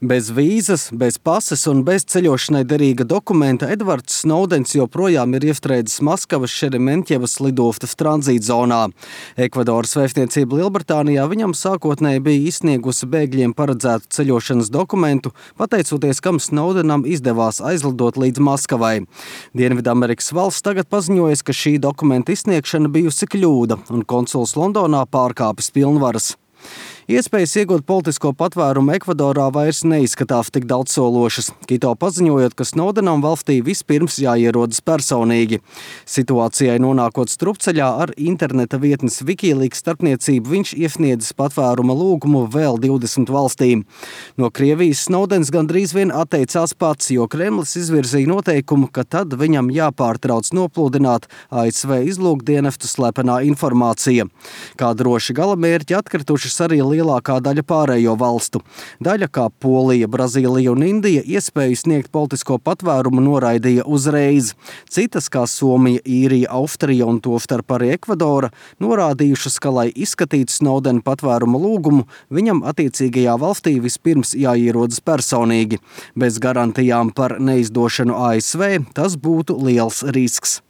Bez vīzas, bez pases un bez ceļošanai derīga dokumenta Edvards Snowdens joprojām ir iestrēdzis Maskavas Šerementjevas lidostas tranzītzonā. Ekvadoras vēstniecība Lielbritānijā viņam sākotnēji bija izsniegusi bēgļiem paredzētu ceļošanas dokumentu, pateicoties, kam Snowdenam izdevās aizlidot līdz Maskavai. Dienvidamerikas valsts tagad paziņojas, ka šī dokumenta izsniegšana bijusi kļūda un konsuls Londonā pārkāpis pilnvaras. Iespējas iegūt politisko patvērumu Ekvadorā vairs neizskatās tik daudzsološas, Kito paziņojot, ka Snowdenam valstī vispirms jāierodas personīgi. Situācijai nonākot strupceļā ar interneta vietnes Wikileaks starpniecību, viņš iesniedzis patvēruma lūgumu vēl 20 valstīm. No Krievijas Snowdens gandrīz vien atteicās pats, jo Kremlis izvirzīja noteikumu, ka tad viņam jāpārtrauc noplūdināt ASV izlūkdienestu slepenā informācija. Kā droši galamērķi atkritušas arī lielākā daļa pārējo valstu. Daļa, kā Polija, Brazīlija un Indija, iespēju sniegt politisko patvērumu noraidīja uzreiz. Citas, kā Somija, Īrija, Austrija un tostarp arī Ekvadora, norādījušas, ka, lai izskatītu Snowdena patvēruma lūgumu, viņam attiecīgajā valstī vispirms jāierodas personīgi. Bez garantijām par neizdošanu ASV tas būtu liels risks.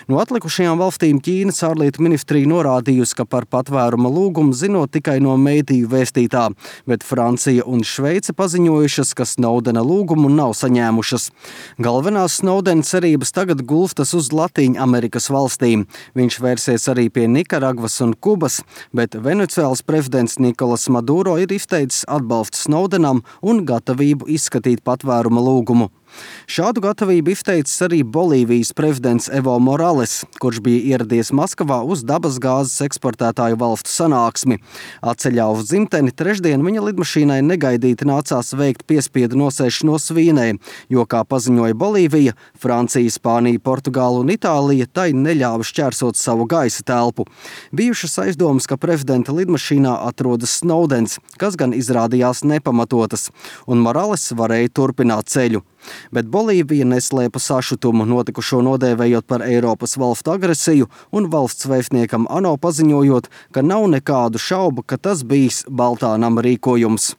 No atlikušajām valstīm Ķīnas ārlietu ministrija norādījusi, ka par patvēruma lūgumu zinot tikai no mediju vēstītā, bet Francija un Šveice paziņojušas, ka Snowdena lūgumu nav saņēmušas. Galvenās Snowdena cerības tagad gulstas uz Latīņamerikas valstīm. Viņš vērsies arī pie Nikaragvas un Kubas, bet Venecuēlas prezidents Nikolas Maduro ir izteicis atbalstu Snowdenam un gatavību izskatīt patvēruma lūgumu. Šādu gatavību izteicis arī Bolīvijas prezidents Evo Morales, kurš bija ieradies Maskavā uz dabasgāzes eksportētāju valstu sanāksmi. Atceļā uz dzimteni trešdien viņa lidmašīnai negaidīti nācās veikt piespiedu nosēšanos Vīnē, jo, kā paziņoja Bolīvija, Francija, Spānija, Portugāla un Itālija tai neļāva šķērsot savu gaisa telpu. Bijušas aizdomas, ka prezidenta lidmašīnā atrodas Snowdens, kas gan izrādījās nepamatotas, un Morales varēja turpināt ceļu. Bet Bolīvija neslēpa sašutumu, notikušo nodēvējot par Eiropas valstu agresiju un valsts vēstniekam ANO paziņojot, ka nav nekādu šaubu, ka tas bijis Baltā nama rīkojums.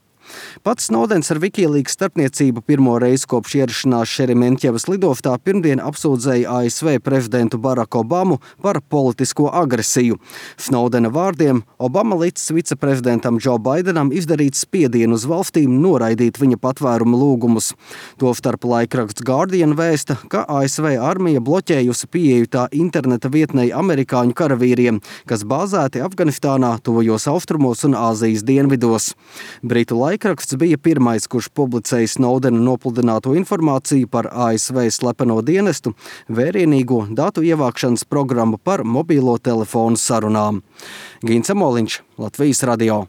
Pats Snowdens ar Wikileaks starpniecību pirmo reizi kopš ierašanās Šerementjevas lidostā pirmdien apsūdzēja ASV prezidentu Baraku Obamu par politisko agresiju. Snowdena vārdiem Obama licis viceprezidentam Joe Bidenam izdarīt spiedienu uz valstīm noraidīt viņa patvēruma lūgumus. Tostarp laikraksts Guardian vēsta, ka ASV armija bloķējusi pieeju tā interneta vietnei amerikāņu karavīriem, kas bāzēti Afganistānā, tuvajos austrumos un Āzijas dienvidos. Britu laikraksts bija pirmais, kurš publicēja Snowdena nopludināto informāciju par ASV slepeno dienestu, vērienīgo datu ievākšanas programmu par mobilo telefonu sarunām. Gins Amoliņš, Latvijas radio.